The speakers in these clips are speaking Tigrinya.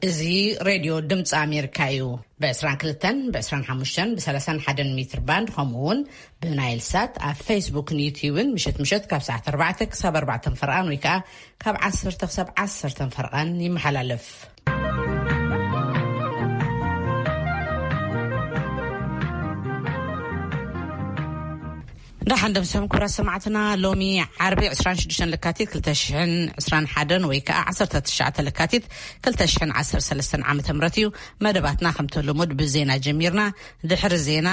እዚ ሬድዮ ድምፂ ኣሜሪካ እዩ። ብ22፣ ብ25፣ ብ31 ሜትር ባንድ፣ ከምኡ እውን ብናይል ሳት ኣብ ፌስቡክን ዩትዩብን ምሸት ምሸት ካብ ሰዓት ኣርባዕተ ክሳብ ኣርባዕተ ፈርቓን ወይ ከዓ ካብ ዓሰርተ ክሳብ ዓሰርተ ፈርቓን ይመሓላለፍ። ደሓን ደምሰም ክቡራት ሰማዕትና፣ ሎሚ ዓርቢ ዕስራን ሽዱሽተን ለካቲት ክልተ ሽሕን ዕስራን ሓደን ወይ ከዓ ዓሰርተ ትሽዓተ ለካቲት ክልተ ሽሕን ዓሰርተ ሰለስተን ዓመተ ምህረት እዩ። መደባትና ከምቲ ልሙድ ብዜና ጀሚርና። ድሕሪ ዜና፣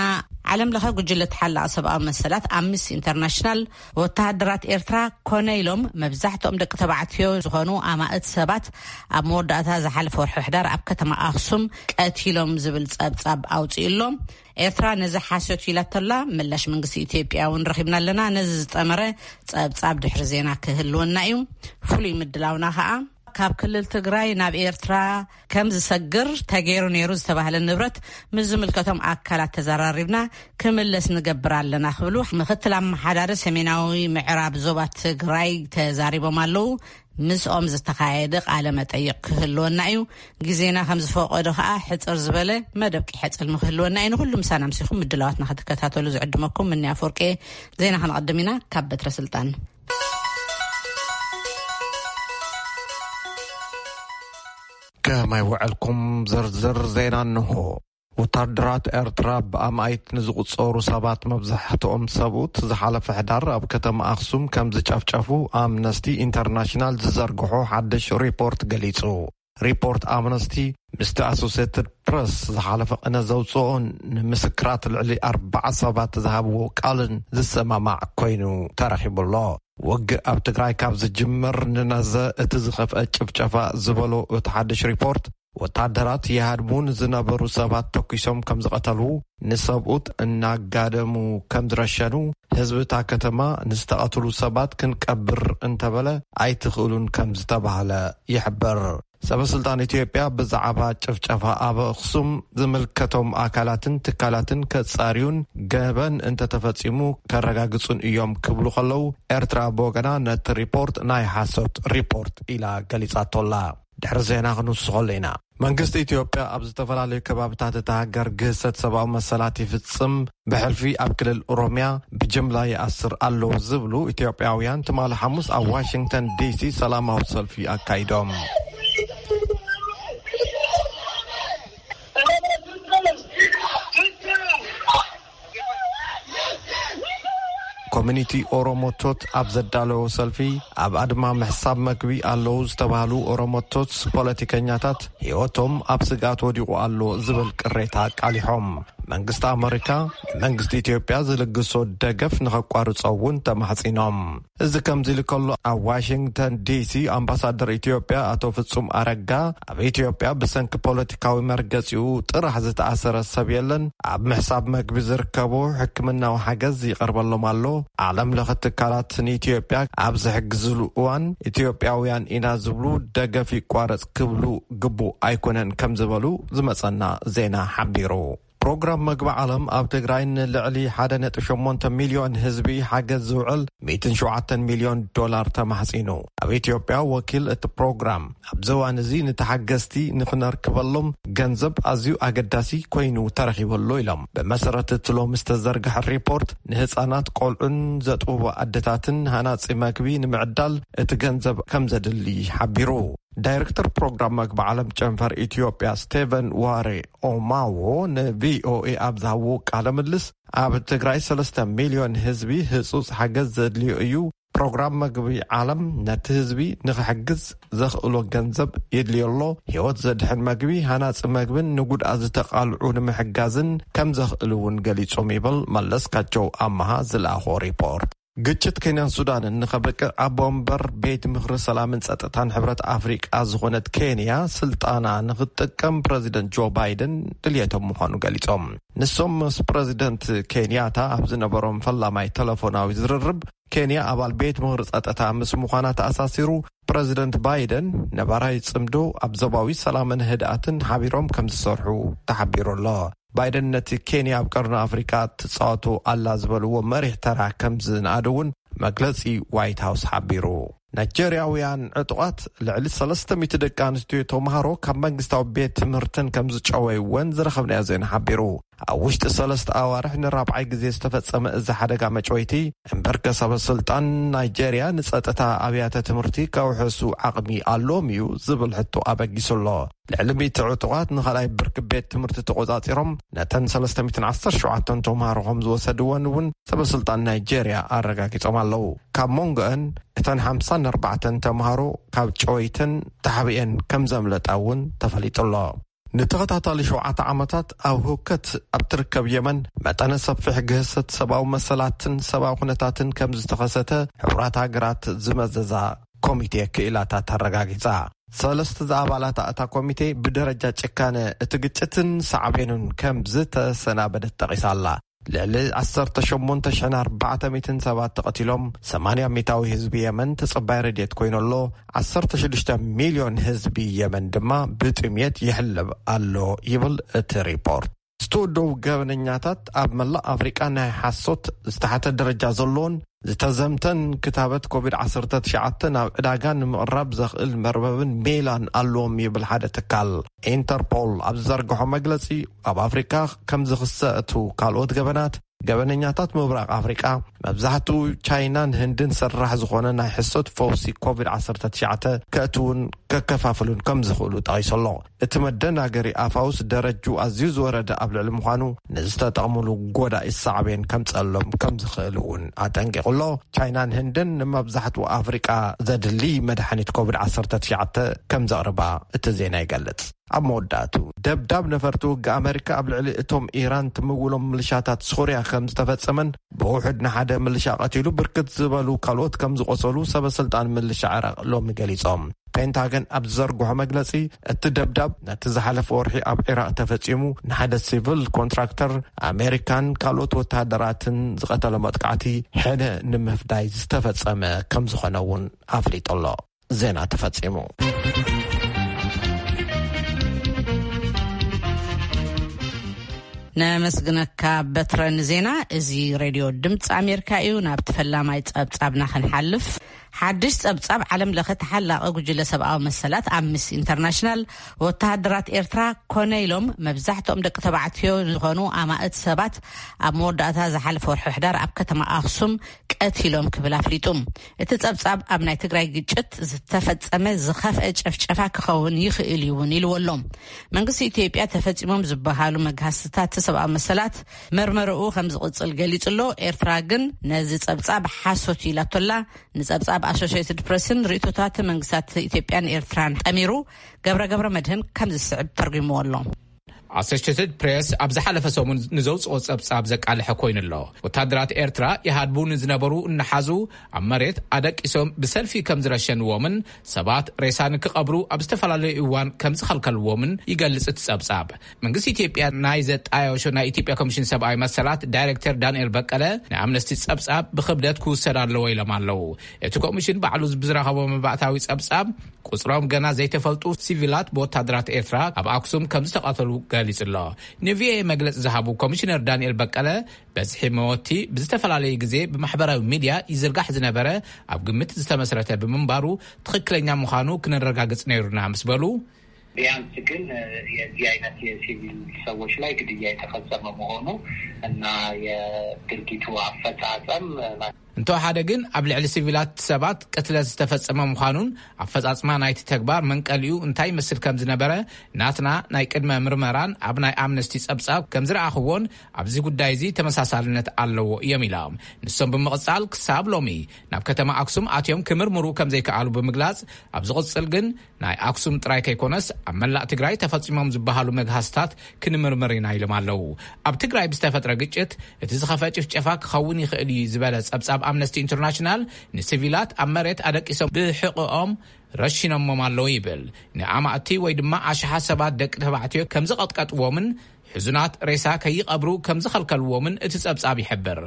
ዓለም ለኸ ጉጅለ ተሓላቒ ሰብኣዊ መሰላት ኣምነስቲ ኢንተርናሽናል፣ ወተሃደራት ኤርትራ ኮነ ኢሎም መብዛሕትኦም ደቂ ተባዕትዮ ዝኾኑ ኣማእት ሰባት ኣብ መወዳእታ ዝሓለፈ ወርሒ ሕዳር ኣብ ከተማ ኣኽሱም ቀቲሎም ዝብል ጸብጻብ ኣውጺኡ ኣሎ። ኤርትራ ነዚ ሓሶት ኢላቶላ። ምላሽ መንግስቲ ኢትዮጵያ እውን ረኺብና ኣለና። ነዚ ዝጠመረ ጸብጻብ ድሕሪ ዜና ክህልወና እዩ። ፍሉይ ምድላውና ኸኣ ካብ ክልል ትግራይ ናብ ኤርትራ ከም ዝሰግር ተገይሩ ነይሩ ዝተባህለ ንብረት ምስ ዝምልከቶም ኣካላት ተዘራሪብና ክምለስ ንገብር ኣለና ክብሉ ምክትል ኣመሓዳሪ ሰሜናዊ ምዕራብ ዞባ ትግራይ ተዛሪቦም ኣለዉ። ምስኦም ዝተኻየደ ቃለ መጠይቕ ክህልወና እዩ። ግዜና ከም ዝፈቀዶ ኸኣ ሕጽር ዝበለ መደብ ቂሐ ጽልሚ ክህልወና እዩ። ንኹሉ ምሳና ምሲኹም ምድላዋትና ክትከታተሉ ዝዕድመኩም ምኒ ኣፈወርቂ። ዜና ክንቐድም ኢና። ካብ በትረ ስልጣን። ከመይ ውዕልኩም? ዝርዝር ዜና እንሆ። ወታደራት ኤርትራ ብኣማኢት ንዝቑጸሩ ሰባት፣ መብዛሕትኦም ሰብኡት፣ ዝሓለፈ ሕዳር ኣብ ከተማ ኣኽሱም ከም ዝጨፍጨፉ ኣምነስቲ ኢንተርናሽናል ዝዘርግሖ ሓድሽ ሪፖርት ገሊጹ። ሪፖርት ኣምነስቲ ምስቲ ኣሶሴትድ ፕረስ ዝሓለፈ ቅነ ዘውጽኦ፣ ንምስክራት ልዕሊ ኣርባዓ ሰባት ዝሃብዎ ቃልን ዝሰማማዕ ኮይኑ ተረኺቡ ኣሎ። ውግእ ኣብ ትግራይ ካብ ዝጅምር ንነዘ እቲ ዝኸፍአ ጭፍጨፋ ዝበሎ እቲ ሓድሽ ሪፖርት፣ ወታደራት ይሃድሙ ንዝነበሩ ሰባት ተኲሶም ከም ዝቐተሉ፣ ንሰብኡት እናጋደሙ ከም ዝረሸኑ፣ ህዝቢ እታ ከተማ ንዝተቐትሉ ሰባት ክንቀብር እንተበለ ኣይትኽእሉን ከም ዝተባህለ ይሕብር። ሰበ ስልጣን ኢትዮጵያ ብዛዕባ ጭፍጨፋ ኣብ ኣኽሱም ዝምልከቶም ኣካላትን ትካላትን ከጻርዩን ገበን እንተተፈጺሙ ከረጋግጹን እዮም ክብሉ ከለዉ፣ ኤርትራ ብወገና ነቲ ሪፖርት ናይ ሓሶት ሪፖርት ኢላ ገሊጻቶ ኣላ። ድሕሪ ዜና ክንውስኸሉ ኢና። መንግስቲ ኢትዮጵያ ኣብ ዝተፈላለዩ ከባብታት እታ ሃገር ግህሰት ሰብኣዊ መሰላት ይፍጽም፣ ብሕልፊ ኣብ ክልል ኦሮምያ ብጅምላ ይኣስር ኣሎ ዝብሉ ኢትዮጵያውያን ትማሊ ሓሙስ ኣብ ዋሽንግተን ዲሲ ሰላማዊ ሰልፊ ኣካይዶም። ኮሚኒቲ ኦሮሞቶት ኣብ ዘዳለዎ ሰልፊ፣ ኣብ ኣድማ ምሕሳብ መግቢ ኣለዉ ዝተባህሉ ኦሮሞቶት ፖለቲከኛታት ህይወቶም ኣብ ስግኣት ወዲቑ ኣሎ ዝብል ቅሬታ ኣቃሊሖም። መንግስቲ ኣመሪካ ንመንግስቲ ኢትዮጵያ ዝልግሶ ደገፍ ንኸቋርጾ እውን ተማሕጺኖም። እዚ ከምዚ ኢሉ ከሎ፣ ኣብ ዋሽንግተን ዲሲ ኣምባሳደር ኢትዮጵያ ኣቶ ፍጹም ኣረጋ፣ ኣብ ኢትዮጵያ ብሰንኪ ፖለቲካዊ መርገጺኡ ጥራሕ ዝተኣሰረ ሰብ የለን፣ ኣብ ምሕሳብ መግቢ ዝርከቡ ሕክምናዊ ሓገዝ ይቐርበሎም ኣሎ። ዓለም ለኸ ትካላት ንኢትዮጵያ ኣብ ዝሕግዝሉ እዋን፣ ኢትዮጵያውያን ኢና ዝብሉ ደገፍ ይቋረጽ ክብሉ ግቡእ ኣይኮነን ከም ዝበሉ ዝመጸና ዜና ሓቢሩ። ፕሮግራም መግቢ ዓለም ኣብ ትግራይ ንልዕሊ ሓደ ነጥቢ ሸሞንተ ሚልዮን ህዝቢ ሓገዝ ዝውዕል ሚእትን ሸውዓተን ሚልዮን ዶላር ተማሕጺኑ። ኣብ ኢትዮጵያ ወኪል እቲ ፕሮግራም፣ ኣብዚ እዋን እዚ ንተሓገዝቲ ንኽነርክበሎም ገንዘብ ኣዝዩ ኣገዳሲ ኮይኑ ተረኺቡ ኣሎ ኢሎም። ብመሰረት እቲ ሎሚ ዝተዘርግሐ ሪፖርት፣ ንህፃናት ቆልዑን ዘጥብቡ ኣደታትን ሃናፂ መግቢ ንምዕዳል እቲ ገንዘብ ከም ዘድሊ ሓቢሩ። ዳይሬክተር ፕሮግራም መግቢ ዓለም ጨንፈር ኢትዮጵያ ስቴቨን ዋሬ ኦማዎ ንቪኦኤ ኣብ ዝሃብዎ ቃለ ምልስ፣ ኣብ ትግራይ ሰለስተ ሚልዮን ህዝቢ ህጹጽ ሓገዝ ዘድልዮ እዩ። ፕሮግራም መግቢ ዓለም ነቲ ህዝቢ ንኽሕግዝ ዘኽእሎ ገንዘብ የድልዮ ኣሎ። ህይወት ዘድሕን መግቢ፣ ሃናጺ መግብን ንጉድኣት ዝተቓልዑ ንምሕጋዝን ከም ዘኽእል እውን ገሊጾም ይብል መለስካቸው ኣመሃ ዝለኣኾ ሪፖርት። ግጭት ኬንያን ሱዳንን ንኸብቅዕ ኣቦ ወንበር ቤት ምኽሪ ሰላምን ጸጥታን ሕብረት ኣፍሪቃ ዝኾነት ኬንያ ስልጣና ንኽትጥቀም ፕረዚደንት ጆ ባይደን ድልየቶም ምዃኑ ገሊጾም። ንሶም ምስ ፕረዚደንት ኬንያታ ኣብ ዝነበሮም ፈላማይ ተለፎናዊ ዝርርብ፣ ኬንያ ኣባል ቤት ምኽሪ ጸጥታ ምስ ምዃና ተኣሳሲሩ፣ ፕረዚደንት ባይደን ነባራይ ጽምዶ ኣብ ዞባዊ ሰላምን ህድኣትን ሓቢሮም ከም ዝሰርሑ ተሓቢሩ ኣሎ። ባይደን ነቲ ኬንያ ኣብ ቀርኒ ኣፍሪቃ ትጻወቶ ኣላ ዝበልዎ መሪሕ ተራ ከም ዝነኣድ እውን መግለጺ ዋይት ሃውስ ሓቢሩ። ናይጀርያውያን ዕጡቓት ልዕሊ ሰለስተ ሚእቲ ደቂ ኣንስትዮ ተምሃሮ ካብ መንግስታዊ ቤት ትምህርትን ከም ዝጨወይወን ዝረኸብናዮ ዜና ሓቢሩ። ኣብ ውሽጢ ሰለስተ ኣዋርሕ ንራብዓይ ግዜ ዝተፈጸመ እዚ ሓደጋ መጭወይቲ፣ እምበርከ ሰበ ስልጣን ናይጀርያ ንጸጥታ ኣብያተ ትምህርቲ ከውሕሱ ዓቕሚ ኣለዎም እዩ ዝብል ሕቶ ኣበጊሱ ኣሎ። ልዕሊ ሚእቲ ዕጡቓት ንኻልኣይ ብርኪ ቤት ትምህርቲ ተቖጻጺሮም፣ ነተን ሰለስተ ሚእትን ዓሰርተ ሸውዓተን ተምሃሮ ከም ዝወሰድወን እውን ሰበ ስልጣን ናይጀርያ ኣረጋጊጾም ኣለዉ። ካብ መንጎአን እተን ሓምሳን ኣርባዕተን ተምሃሮ ካብ ጨወይተን ተሓቢአን ከም ዘምለጣ እውን ተፈሊጡ ኣሎ። ንተኸታታሊ ሸውዓተ ዓመታት ኣብ ህውከት ኣብ ትርከብ የመን፣ መጠነ ሰፊሕ ግህሰት ሰብኣዊ መሰላትን ሰብኣዊ ኩነታትን ከም ዝተኸሰተ ሕቡራት ሃገራት ዝመዘዛ ኮሚቴ ክኢላታት ኣረጋጊጻ። ሰለስተ ዝኣባላት እታ ኮሚቴ ብደረጃ ጭካነ እቲ ግጭትን ሳዕቤኑን ከም ዝተሰናበደት ጠቒሳ ኣላ። ልዕሊ ዓሰርተ ሸሞንተ ሽሕን ኣርባዕተ ሚእትን ሰባት ተቐቲሎም፣ ሰማንያ ሚእታዊ ህዝቢ የመን ተጸባይ ረድኤት ኮይኑ ኣሎ። ዓሰርተ ሽዱሽተ ሚልዮን ህዝቢ የመን ድማ ብጥምየት ይሕለብ ኣሎ ይብል እቲ ሪፖርት። ዝተወደቡ ገበነኛታት ኣብ መላእ ኣፍሪቃ ናይ ሓሶት ዝተሓተ ደረጃ ዘለዎን ዝተዘምተን ክታበት ኮቪድ ዓሰርተ ትሽዓተ ናብ ዕዳጋ ንምቕራብ ዘኽእል መርበብን ሜላን ኣለዎም ይብል ሓደ ትካል። ኢንተርፖል ኣብ ዝዘርግሖ መግለጺ፣ ኣብ ኣፍሪቃ ከም ዝኽሰቱ ካልኦት ገበናት፣ ገበነኛታት ምብራቕ ኣፍሪቃ፣ መብዛሕትኡ ቻይናን ህንድን ሰራሕ ዝኾነ ናይ ሕሶት ፈውሲ ኮቪድ ዓሰርተ ትሽዓተ ከእትውን ከከፋፍሉን ከም ዝኽእሉ ጠቒሱ ኣሎ። እቲ መደናገሪ ኣፋውስ ደረጁ ኣዝዩ ዝወረደ ኣብ ልዕሊ ምዃኑ፣ ንዝተጠቕምሉ ጎዳኢ ሳዕቤን ከምጸሎም ከም ዝኽእል እውን ኣጠንቂቑ ኣሎ። ቻይናን ህንድን ንመብዛሕትኡ ኣፍሪቃ ዘድሊ መድሓኒት ኮቪድ ዓሰርተ ትሽዓተ ከም ዘቕርባ እቲ ዜና ይገልጽ። ኣብ መወዳእቱ፣ ደብዳብ ነፈርቲ ውግእ ኣመሪካ ኣብ ልዕሊ እቶም ኢራን ትምውሎም ምልሻታት ሶርያ ከም ዝተፈጸመን፣ ብውሑድ ንሓደ ምልሻ ቀቲሉ፣ ብርክት ዝበሉ ካልኦት ከም ዝቆሰሉ ሰበ ስልጣን ምልሻ ዕራቕ ሎሚ ገሊጾም። ፔንታገን ኣብ ዝዘርግሖ መግለጺ፣ እቲ ደብዳብ ነቲ ዝሓለፈ ወርሒ ኣብ ዒራቕ ተፈጺሙ ንሓደ ሲቪል ኮንትራክተር ኣሜሪካን ካልኦት ወተሃደራትን ዝቐተሎ መጥቃዕቲ ሕነ ንምፍዳይ ዝተፈጸመ ከም ዝኾነ እውን ኣፍሊጡ ኣሎ። ዜና ተፈጺሙ። ነመስግነካ በትረ ንዜና። እዚ ሬድዮ ድምፂ ኣሜሪካ እዩ። ናብቲ ፈላማይ ጸብጻብና ክንሓልፍ፣ ሓድሽ ጸብጻብ ዓለም ለኸ ተሓላቒ ጉጅለ ሰብኣዊ መሰላት ኣምነስቲ ኢንተርናሽናል፣ ወተሃደራት ኤርትራ ኮነ ኢሎም መብዛሕትኦም ደቂ ተባዕትዮ ዝኾኑ ኣማእት ሰባት ኣብ መወዳእታ ዝሓለፈ ወርሒ ሕዳር ኣብ ከተማ ኣኽሱም ቀቲሎም ክብል ኣፍሊጡ። እቲ ጸብጻብ ኣብ ናይ ትግራይ ግጭት ዝተፈጸመ ዝኸፍአ ጨፍጨፋ ክኸውን ይኽእል እዩ እውን ኢልዎ ኣሎ። መንግስቲ ኢትዮጵያ ተፈጺሞም ዝበሃሉ መግሃስትታት ሰብኣዊ መሰላት መርመርኡ ከም ዝቕጽል ገሊጹ ኣሎ። ኤርትራ ግን ነዚ ጸብጻብ ሓሶት እዩ ኢላቶ ኣላ። ንጸብጻብ ኣሶሽየትድ ፕሬስን ርእይቶታት መንግስታት ኢትዮጵያን ኤርትራን ጠሚሩ ገብረ ገብረ መድህን ከም ዝስዕብ ተርጒምዎ ኣሎ። ኣሶሽየትድ ፕሬስ ኣብ ዝሓለፈ ሰሙን ንዘውጽኦ ጸብጻብ ዘቃልሐ ኮይኑ ኣሎ። ወታደራት ኤርትራ ይሃድቡ ንዝነበሩ እናሓዙ ኣብ መሬት ኣደቂሶም ብሰልፊ ከም ዝረሸንዎምን ሰባት ሬሳ ንክቐብሩ ኣብ ዝተፈላለዩ እዋን ከም ዝኸልከልዎምን ይገልጽ እቲ ጸብጻብ። መንግስቲ ኢትዮጵያ ናይ ዘጣየሾ ናይ ኢትዮጵያ ኮሚሽን ሰብኣዊ መሰላት ዳይሬክተር ዳንኤል በቀለ ንኣምነስቲ ጸብጻብ ብክብደት ክውሰድ ኣለዎ ኢሎም ኣለዉ። እቲ ኮሚሽን ባዕሉ ብዝረኸቦ መባእታዊ ጸብጻብ ቁጽሮም ገና ዘይተፈልጡ ሲቪላት ብወታደራት ኤርትራ ኣብ ኣክሱም ከም ዝተቐተሉ ገሊጹ ኣሎ። ንቪኦኤ መግለጺ ዝሃቡ ኮሚሽነር ዳንኤል በቀለ፣ በዝሒ መወቲ ብዝተፈላለየ ግዜ ብማሕበራዊ ሚድያ ይዝርጋሕ ዝነበረ ኣብ ግምት ዝተመስረተ ብምንባሩ ትኽክለኛ ምዃኑ ክነረጋግጽ ነይሩና ምስ በሉ፣ ቢያንስ ግን የዚህ አይነት የሲቪል ሰዎች ላይ ግድያ የተፈጸመ መሆኑ እና የድርጊቱ አፈጻጸም እንተወሓደ ግን ኣብ ልዕሊ ሲቪላት ሰባት ቅትለት ዝተፈጸመ ምዃኑን ኣፈጻጽማ ናይቲ ተግባር መንቀሊኡ እንታይ ይመስል ከም ዝነበረ ናትና ናይ ቅድመ ምርመራን ኣብ ናይ ኣምነስቲ ጸብጻብ ከም ዝረኣኽዎን ኣብዚ ጉዳይ እዚ ተመሳሳልነት ኣለዎ እዮም ኢሎም። ንሶም ብምቕጻል ክሳብ ሎሚ ናብ ከተማ ኣክሱም ኣትዮም ክምርምሩ ከም ዘይከኣሉ ብምግላጽ፣ ኣብ ዝቕጽል ግን ናይ ኣክሱም ጥራይ ከይኮነስ ኣብ መላእ ትግራይ ተፈጺሞም ዝበሃሉ መግሃስታት ክንምርምር ኢና ኢሎም ኣለዉ። ኣብ ትግራይ ብዝተፈጥረ ግጭት እቲ ዝኸፍአ ጭፍጨፋ ክኸውን ይኽእል እዩ ዝበለ ጸብጻብ ኣምነስቲ ኢንተርናሽናል፣ ንሲቪላት ኣብ መሬት ኣደቂሶም ብሕቖኦም ረሺኖሞም ኣለዉ ይብል። ንኣማእቲ ወይ ድማ ኣሽሓት ሰባት ደቂ ተባዕትዮ ከም ዝቐጥቀጥዎምን ሕዙናት ሬሳ ከይቐብሩ ከም ዝኸልከልዎምን እቲ ጸብጻብ ይሕብር።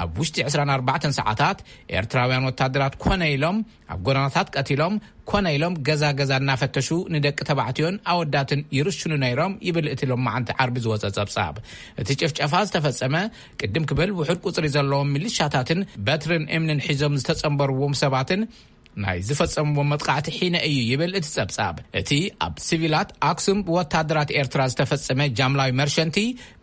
ኣብ ውሽጢ ዕስራን ኣርባዕተን ሰዓታት ኤርትራውያን ወታደራት ኮነ ኢሎም ኣብ ጎደናታት ቀቲሎም፣ ኮነ ኢሎም ገዛ ገዛ እናፈተሹ ንደቂ ተባዕትዮን ኣወዳትን ይርሽኑ ነይሮም ይብል እቲ ሎማዓንቲ ዓርቢ ዝወጸ ጸብጻብ። እቲ ጭፍጨፋ ዝተፈጸመ ቅድም ክብል ውሑድ ቁጽሪ ዘለዎም ሚሊሻታትን በትርን እምንን ሒዞም ዝተጸንበርዎም ሰባትን ናይ ዝፈጸምዎ መጥቃዕቲ ሒነ እዩ ይብል እቲ ጸብጻብ። እቲ ኣብ ሲቪላት ኣክሱም ብወታደራት ኤርትራ ዝተፈጸመ ጃምላዊ መርሸንቲ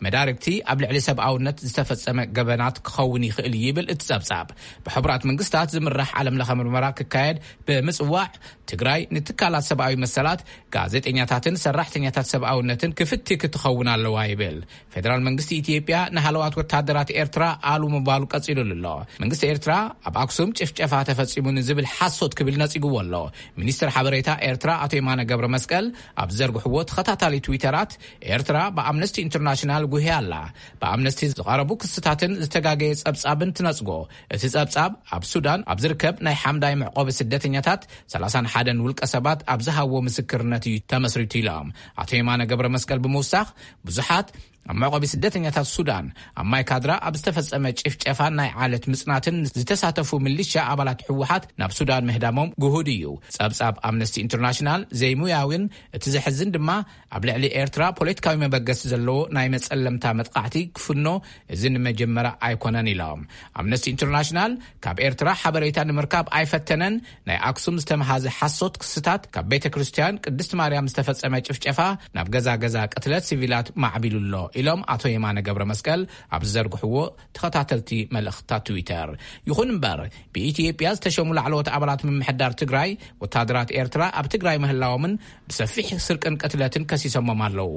መዳርግቲ ኣብ ልዕሊ ሰብኣውነት ዝተፈጸመ ገበናት ክኸውን ይኽእል እዩ ይብል እቲ ጸብጻብ። ብሕቡራት መንግስታት ዝምራሕ ዓለም ለኸ ምርመራ ክካየድ ብምጽዋዕ ትግራይ ንትካላት ሰብኣዊ መሰላት፣ ጋዜጠኛታትን ሰራሕተኛታት ሰብኣውነትን ክፍቲ ክትኸውን ኣለዋ ይብል። ፌደራል መንግስቲ ኢትዮጵያ ንሃለዋት ወታደራት ኤርትራ ኣሉ ምባሉ ቀጺሉሉ ኣሎ። መንግስቲ ኤርትራ ኣብ ኣክሱም ጭፍጨፋ ተፈጺሙ ንዝብል ሓሶት ክብል ነጺግዎ ኣሎ። ሚኒስትር ሓበሬታ ኤርትራ ኣቶ የማነ ገብረ መስቀል ኣብ ዘርግሕዎ ተኸታታሊ ትዊተራት፣ ኤርትራ ብኣምነስቲ ኢንተርናሽናል ጉህያ ኣላ። ብኣምነስቲ ዝቐረቡ ክስታትን ዝተጋገየ ጸብጻብን ትነጽጎ። እቲ ጸብጻብ ኣብ ሱዳን ኣብ ዝርከብ ናይ ሓምዳይ መዕቆቢ ስደተኛታት ሰላሳን ሓደን ውልቀ ሰባት ኣብ ዝሃብዎ ምስክርነት እዩ ተመስሪቱ ኢሎም ኣቶ የማነ ገብረ መስቀል ብምውሳኽ፣ ብዙሓት ኣብ መዕቆቢ ስደተኛታት ሱዳን ኣብ ማይ ካድራ ኣብ ዝተፈጸመ ጭፍጨፋን ናይ ዓለት ምጽናትን ዝተሳተፉ ሚሊሻ ኣባላት ህወሓት ናብ ሱዳን ምህዳሞም ግሁድ እዩ። ጸብጻብ ኣምነስቲ ኢንተርናሽናል ዘይሙያዊን እቲ ዘሕዝን ድማ ኣብ ልዕሊ ኤርትራ ፖለቲካዊ መበገሲ ዘለዎ ናይ መጸለምታ መጥቃዕቲ ክፍኖ እዚ ንመጀመርያ ኣይኮነን ኢሎም። ኣምነስቲ ኢንተርናሽናል ካብ ኤርትራ ሓበሬታ ንምርካብ ኣይፈተነን። ናይ ኣክሱም ዝተመሃዘ ሓሶት ክስታት፣ ካብ ቤተ ክርስቲያን ቅድስት ማርያም ዝተፈጸመ ጭፍጨፋ ናብ ገዛ ገዛ ቅትለት ሲቪላት ማዕቢሉ ኣሎ ኢሎም ኣቶ የማነ ገብረ መስቀል ኣብ ዝዘርግሕዎ ተኸታተልቲ መልእኽትታት ትዊተር። ይኹን እምበር ብኢትዮጵያ ዝተሸሙ ላዕለዎት ኣባላት ምምሕዳር ትግራይ ወታደራት ኤርትራ ኣብ ትግራይ ምህላዎምን ብሰፊሕ ስርቅን ቅትለትን ከሲሶሞም ኣለዉ።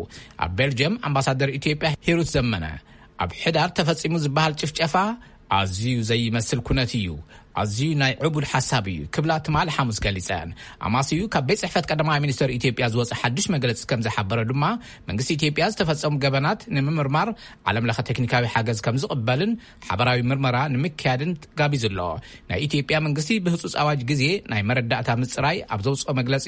ኣብ ቤልጅየም ኣምባሳደር ኢትዮጵያ ሂሩት ዘመነ ኣብ ሕዳር ተፈጺሙ ዝበሃል ጭፍጨፋ ኣዝዩ ዘይመስል ኩነት እዩ፣ ኣዝዩ ናይ ዕቡድ ሓሳብ እዩ ክብላ ትማሊ ሓሙስ ገሊጸን። ኣማስዩ ካብ ቤት ጽሕፈት ቀዳማይ ሚኒስትር ኢትዮጵያ ዝወጸ ሓድሽ መግለጺ ከም ዝሓበረ ድማ መንግስቲ ኢትዮጵያ ዝተፈጸሙ ገበናት ንምምርማር ዓለም ለኸ ቴክኒካዊ ሓገዝ ከም ዝቕበልን ሓበራዊ ምርመራ ንምክያድን ጋቢዙ ኣሎ። ናይ ኢትዮጵያ መንግስቲ ብህጹጽ ኣዋጅ ግዜ ናይ መረዳእታ ምጽራይ ኣብ ዘውጽኦ መግለጺ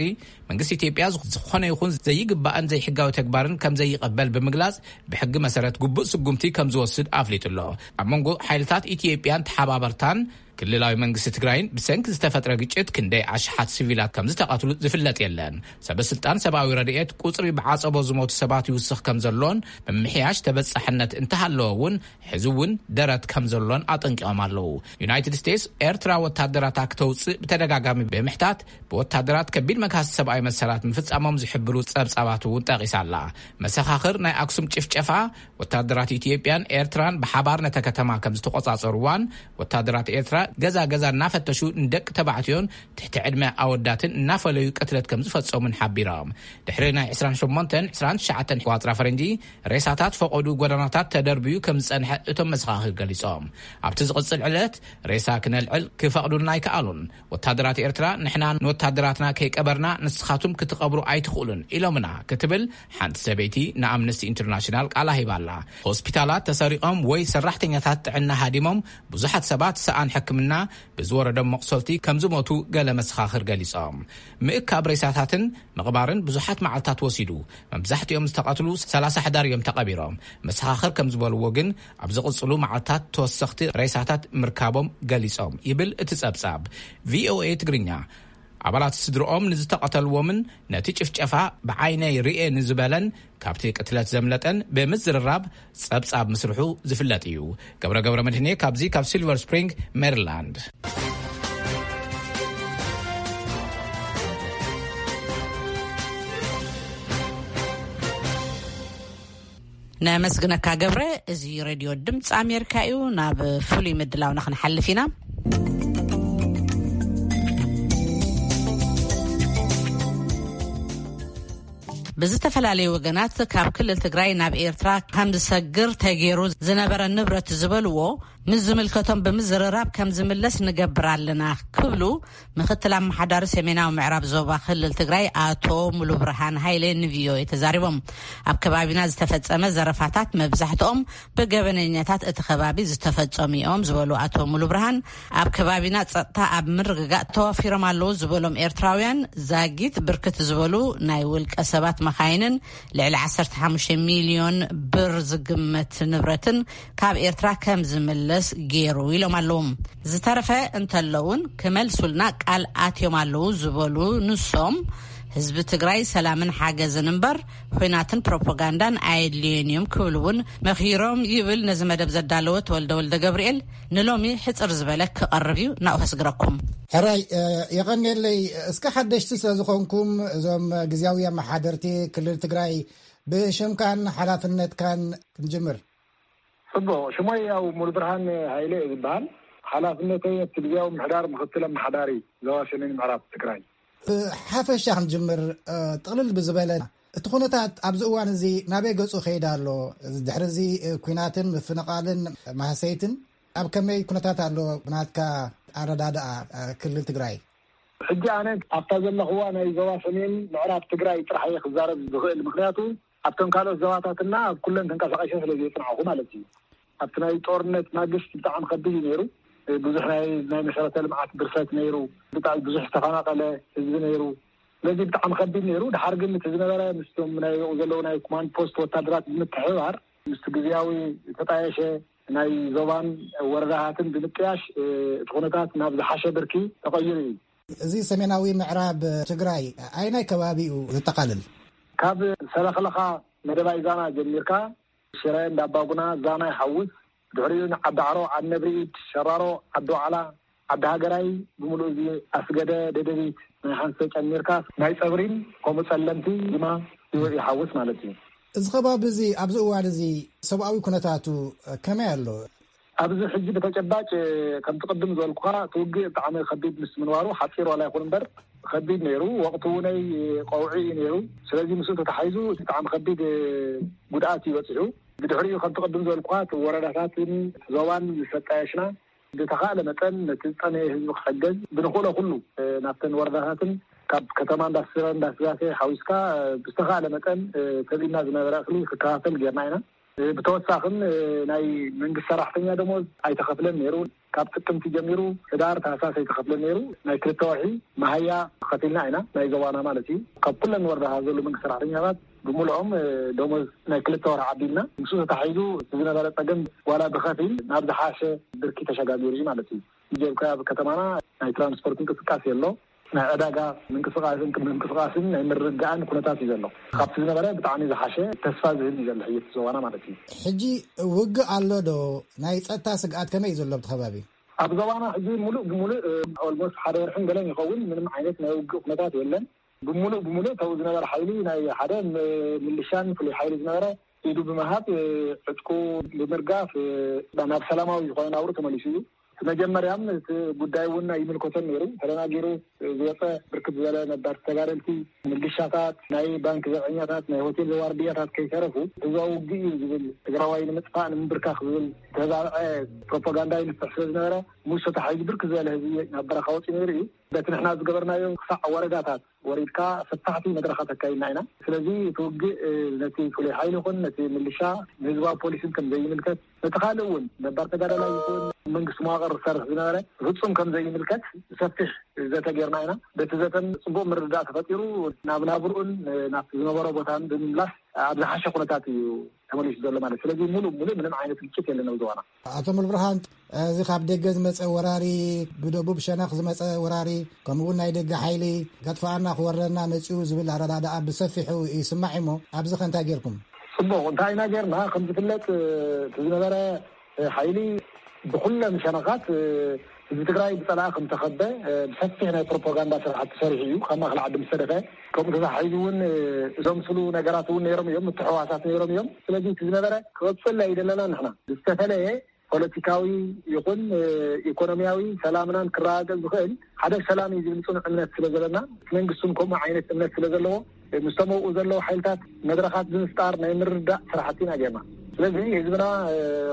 መንግስቲ ኢትዮጵያ ዝኾነ ይኹን ዘይግባእን ዘይሕጋዊ ተግባርን ከም ዘይቐበል ብምግላጽ ብሕጊ መሰረት ግቡእ ስጉምቲ ከም ዝወስድ ኣፍሊጡ ኣሎ። ኣብ መንጎ ሓይልታት ኢትዮጵያን ተሓባበርታን ክልላዊ መንግስቲ ትግራይን ብሰንኪ ዝተፈጥረ ግጭት ክንደይ ኣሽሓት ሲቪላት ከም ዝተቐትሉ ዝፍለጥ የለን። ሰበ ስልጣን ሰብኣዊ ረድኤት ቁጽሪ ብዓጸቦ ዝሞቱ ሰባት ይውስኽ ከም ዘሎን ምምሕያሽ ተበጻሕነት እንተሃለወ እውን ሕዚ እውን ደረት ከም ዘሎን ኣጠንቂቖም ኣለዉ። ዩናይትድ ስቴትስ ኤርትራ ወታደራታ ክተውፅእ ብተደጋጋሚ ብምሕታት ብወታደራት ከቢድ መግሃስ ሰብኣዊ መሰላት ምፍጻሞም ዝሕብሩ ጸብጻባት እውን ጠቒሳ ኣላ። መሰኻኽር ናይ ኣክሱም ጭፍጨፋ ወታደራት ኢትዮጵያን ኤርትራን ብሓባር ነታ ከተማ ከም ዝተቖጻጸርዋን ወታደራት ኤርትራ ገዛ ገዛ እናፈተሹ ንደቂ ተባዕትዮን ትሕቲ ዕድመ ኣወዳትን እናፈለዩ ቅትለት ከም ዝፈጸሙን ሓቢሮም። ድሕሪ ናይ ዕስራን ሸሞንተን ዕስራን ትሽዓተን ቆጽራ ፈረንጂ ሬሳታት ፈቐዱ ጎደናታት ተደርብዩ ከም ዝጸንሐ እቶም መሰኻኽር ገሊጾም። ኣብቲ ዝቕጽል ዕለት ሬሳ ክነልዕል ክፈቕዱልና ኣይከኣሉን። ወታደራት ኤርትራ ንሕና ንወታደራትና ከይቀበርና ንስኻቱም ክትቐብሩ ኣይትኽእሉን ኢሎምና ክትብል ሓንቲ ሰበይቲ ንኣምነስቲ ኢንተርናሽናል ቃላ ሂባላ። ሆስፒታላት ተሰሪቖም ወይ ሰራሕተኛታት ጥዕና ሃዲሞም ብዙሓት ሰባት ሰኣን ሕክምና ብዝወረዶም መቑሰልቲ ከም ዝሞቱ ገለ መሰኻኽር ገሊጾም። ምእካብ ሬሳታትን ምቕባርን ብዙሓት መዓልታት ወሲዱ። መብዛሕትኦም ዝተቐትሉ ሰላሳ ሕዳር እዮም ተቐቢሮም። መሰኻኽር ከም ዝበልዎ ግን ኣብ ዝቕጽሉ መዓልታት ተወሰኽቲ ሬሳታት ምርካቦም ገሊጾም ይብል እቲ ጸብጻብ። ቪኦኤ ትግርኛ ኣባላት ስድርኦም ንዝተቐተልዎምን ነቲ ጭፍጨፋ ብዓይነይ ርእየ ንዝበለን ካብቲ ቅትለት ዘምለጠን ብምዝርራብ ጸብጻብ ምስርሑ ዝፍለጥ እዩ። ገብረ ገብረ መድህኔ ካብዚ ካብ ሲልቨር ስፕሪንግ ሜሪላንድ። ነመስግነካ ገብረ። እዚ ሬድዮ ድምፂ ኣሜሪካ እዩ። ናብ ፍሉይ ምድላውና ክንሓልፍ ኢና። ብዝተፈላለዩ ወገናት ካብ ክልል ትግራይ ናብ ኤርትራ ከም ዝሰግር ተገይሩ ዝነበረ ንብረት ዝበልዎ ምስ ዝምልከቶም ብምዝርራብ ከም ዝምለስ ንገብር ኣለና ክብሉ ምክትል ኣመሓዳሪ ሰሜናዊ ምዕራብ ዞባ ክልል ትግራይ ኣቶ ሙሉ ብርሃን ሃይለ ንቪኦኤ ተዛሪቦም። ኣብ ከባቢና ዝተፈጸመ ዘረፋታት መብዛሕትኦም ብገበነኛታት እቲ ከባቢ ዝተፈጸሙ እዮም ዝበሉ ኣቶ ሙሉ ብርሃን፣ ኣብ ከባቢና ጸጥታ ኣብ ምርግጋእ ተዋፊሮም ኣለዉ ዝበሎም ኤርትራውያን ዛጊት ብርክት ዝበሉ ናይ ውልቀ ሰባት መኻይንን ልዕሊ ዓሰርተ ሓሙሽተ ሚልዮን ብር ዝግመት ንብረትን ካብ ኤርትራ ከም ዝምለስ ገይሩ ኢሎም ኣለዉ። ዝተረፈ እንተለውን ክመልሱልና ቃል ኣትዮም ኣለዉ ዝበሉ ንሶም፣ ህዝቢ ትግራይ ሰላምን ሓገዝን እምበር፣ ኹናትን ፕሮፓጋንዳን ኣየድልዮን እዮም ክብል እውን መኺሮም ይብል ነዚ መደብ ዘዳለወ ተወልደ ወልደ ገብርኤል ንሎሚ ሕጽር ዝበለ ክቐርብ እዩ። ናብኡ ከስግረኩም። ሕራይ፣ እ፣ የቐንየለይ። እስከ ሓደሽቲ ስለ ዝኾንኩም፣ እዞም ግዝያዊ ኣመሓደርቲ ክልል ትግራይ ብሽምካን ሓላፍነትካን ክንጅምር። ጽቡቕ። ሽሞይ ያው ሙሉብርሃን ሃይለ እየ ዝበሃል። ሓላፍነተይ ኣብቲ ግዝያዊ ምሕዳር ምኽትል ኣመሓዳሪ ዞባ ሰሜን ምዕራብ ትግራይ። ብሓፈሻ ክንጅምር፣ እ፣ ጥቕልል ብዝበለ፣ እቲ ኩነታት ኣብዚ እዋን እዚ ናበይ ገጹ ከይድ ኣሎ? ድሕሪ እዚ፣ እ፣ ኲናትን ምፍንቓልን ማህሰይትን ኣብ ከመይ ኩነታት ኣሎ ብናትካ ኣረዳድኣ፣ እ፣ ክልል ትግራይ? ሕጂ ኣነ ኣብታ ዘለኽዋ ናይ ዞባ ሰሜን ምዕራብ ትግራይ ጥራሕ እየ ክዛረብ ዝኽእል። ምኽንያቱ ኣብተን ካልኦት ዞባታትና ኣብ ኩለን ተንቀሳቒሰ ስለ ዘይጽናዕኹ ማለት እዩ። ኣብቲ ናይ ጦርነት ማግስት ብጣዕሚ ከቢድ እዩ ነይሩ። ብዙሕ ናይ፣ ናይ መሰረተ ልምዓት ብርሰት ነይሩ። ብጣዕሚ ብዙሕ ዝተፈናቐለ ህዝቢ ነይሩ። ስለዚ ብጣዕሚ ከቢድ ነይሩ። ድሓር ግን እቲ ዝነበረ ምስቶም ናይ ዘለዉ ናይ ኮማንድ ፖስት ወታደራት ብምትሕብባር ምስቲ ግዝያዊ ተጣየሸ ናይ ዞባን ወረዳታትን ብምጥያሽ፣ እ፣ እቲ ኩነታት ናብ ዝሓሸ ብርኪ ተቐይሩ እዩ። እዚ ሰሜናዊ ምዕራብ ትግራይ ኣይናይ ከባቢኡ ዘጠቓልል? ካብ ሰለኽለኻ መደባይ ዛና ጀሚርካ፣ ሽረ፣ እንዳባጉና፣ ዛና ይሓውስ። ድሕሪኡ ንዓዲ ዓሮ፣ ዓዲ ነብሪኢድ፣ ሸራሮ፣ ዓዲ ዋዕላ፣ ዓዲ ሃገራይ፣ ብምሉእ እዚ ኣስገደ፣ ደደቢት፣ ናይ ሓንሰ ጨሚርካ ናይ ጸብሪን ከምኡ ጸለምቲ ድማ ይወ-፣ ይሓውስ ማለት እዩ። እዚ ከባቢ እዚ ኣብዚ እዋን እዚ ሰብኣዊ ኩነታቱ ከመይ ኣሎ? ኣብዚ ሕጂ ብተጨባጭ ከምቲ ቅድም ዝበልኩኻ እቲ ውግእ ብጣዕሚ ከቢድ ምስ ምንባሩ ሓፂር ዋላ ይኹን እምበር ከቢድ ነይሩ። ወቕቲ እውነይ ቀውዒ እዩ ነይሩ። ስለዚ ምስኡ ተተሓሒዙ እቲ ብጣዕሚ ከቢድ ጉድኣት እዩ በፂሑ። ብድሕሪኡ ከምቲ ቅድም ዝበልኩኻ እቲ ወረዳታትን ዞባን ምስ ኣጣየሽና ብተኻእለ መጠን ነቲ ዝጠመየ ህዝቢ ክሕገዝ ብንኽእሎ ኩሉ ናብተን ወረዳታትን ካብ ከተማ እንዳስረ እንዳስጋሴ ሓዊስካ ብዝተኻእለ መጠን ተቢና ዝነበረ እኽሊ ክከፋፈል ጌርና ኢና። ብተወሳኽን ናይ መንግስቲ ሰራሕተኛ ደሞዝ ኣይተኸፍለን ነይሩ። ካብ ጥቅምቲ ጀሚሩ ህዳር ታህሳስ ኣይተኸፍለን ነይሩ። ናይ ክልተ ወርሒ መሃያ ከፊልና ኢና፣ ናይ ዞባና ማለት እዩ። ካብ ኩለን ወረዳ ዘሎ መንግስቲ ሰራሕተኛታት ብምልኦም ደሞዝ ናይ ክልተ ወርሒ ዓዲልና። ምስ ተታሒዙ እቲ ዝነበረ ፀገም ዋላ ብኸፊል ናብ ዝሓሸ ብርኪ ተሸጋጊሩ እዩ ማለት እዩ። ጀብካ ኣብ ከተማና ናይ ትራንስፖርት እንቅስቃሴ ኣሎ። ናይ ዕዳጋ ምንቅስቃስን ምንቅስቃስን ናይ ምርግጋእን ኩነታት እዩ ዘሎ። ካብቲ ዝነበረ ብጣዕሚ ዝሓሸ ተስፋ ዝህብ እዩ ዘሎ ሕይወት ዞባና ማለት እዩ። ሕጂ ውግእ ኣሎ ዶ? ናይ ጸጥታ ስግኣት ከመይ እዩ ዘሎ ኣብቲ ከባቢ? ኣብ ዞባና ሕጂ ሙሉእ ብሙሉእ ኦልሞስት ሓደ ወርሕን ገለን ይኸውን ምንም ዓይነት ናይ ውግእ ኩነታት የለን። ብሙሉእ ብሙሉእ ተው ዝነበረ ሓይሊ ናይ ሓደ ም-፣ ምልሻን ፍሉይ ሓይሊ ዝነበረ ኢዱ ብምሃብ ዕጥቁ ብምርጋፍ ናብ ሰላማዊ ዝኾነ ናብሩ ተመሊሱ እዩ። እቲ መጀመርያም እቲ ጉዳይ እውን ኣይምልከቶን ነይሩ። ተደናጊሩ ዝወፀ ብርክት ዝበለ ነባር ተጋደልቲ፣ ምልሻታት፣ ናይ ባንክ ዘብዐኛታት፣ ናይ ሆቴል ዋርድያታት ከይተረፉ ህዝባዊ ውግእ እዩ ዝብል ትግራዋይ ንምጥፋእ ንምንብርካኽ ዝብል ዝተዛብዐ ፕሮፓጋንዳ ይንፍሕ ስለ ዝነበረ ምስ ተታሒዙ ብርክት ዝበለ ህዝቢ ናብ በረኻ ወፂኡ ነይሩ እዩ። በቲ ንሕና ዝገበርናዮ ክሳዕ ወረዳታት ወሪድካ ሰፋሕቲ መድረኻት ኣካይድና ኢና። ስለዚ እቲ ውግእ ነቲ ፍሉይ ሓይሊ ይኹን ነቲ ምልሻ ንህዝባዊ ፖሊስን ከም ዘይምልከት ነቲ ካልእ እውን ነባር ተጋዳላይ ይኹን መንግስቲ መዋቕር ዝሰርሕ ዝነበረ ፍጹም ከም ዘይምልከት ሰፊሕ ዘተ ጌርና ኢና። በቲ ዘተን ጽቡቕ ምርድዳእ ተፈጢሩ ናብ ናብርኡን ናብቲ ዝነበሮ ቦታን ብምምላስ ኣብ ዝሓሸ ኩነታት እዩ ተመሊሱ ዘሎ ማለት። ስለዚ ሙሉእ ሙሉእ ምንም ዓይነት ግጭት የለን ኣብ ዞባና። ኣቶ ሙሉብርሃን፣ እዚ ካብ ደገ ዝመጸ ወራሪ፣ ብደቡብ ሸነኽ ዝመጸ ወራሪ፣ ከምኡ እውን ናይ ደገ ሓይሊ ከጥፍኣና ክወረና መጺኡ ዝብል ኣረዳድኣ ብሰፊሑ ይስማዕ እሞ፣ ኣብዚ ከ እንታይ ጌርኩም? ጽቡቕ፣ እንታይ ኢና ጌርና? ከም ዝፍለጥ፣ እቲ ዝነበረ ሓይሊ ብኩለን ሸነኻት ህዝቢ ትግራይ ብጸላኢ ከም ተኸበ ብሰፊሕ ናይ ፕሮፓጋንዳ ስራሕቲ ሰሪሑ እዩ። ካብ ማእከል ዓዲ ምስ ሰደፈ፣ ከምኡ ተታሒዙ እውን ዘምስሉ ነገራት እውን ነይሮም እዮም፣ ምትሕውዋሳት ነይሮም እዮም። ስለዚ እቲ ዝነበረ ክቕጽል ኣይደለና ንሕና። ዝተፈለየ ፖለቲካዊ ይኹን ኢኮኖሚያዊ ሰላምናን ክረጋገጽ ዝኽእል ሓደ ሰላም እዩ ዝብል ጽኑዕ እምነት ስለ ዘለና፣ እቲ መንግስቲ እውን ከምኡ ዓይነት እምነት ስለ ዘለዎ፣ ምስቶም ኣብኡ ዘለዉ ሓይልታት መድረኻት ብምፍጣር ናይ ምርድዳእ ስራሕቲ ኢና ጌርና። ስለዚ ህዝብና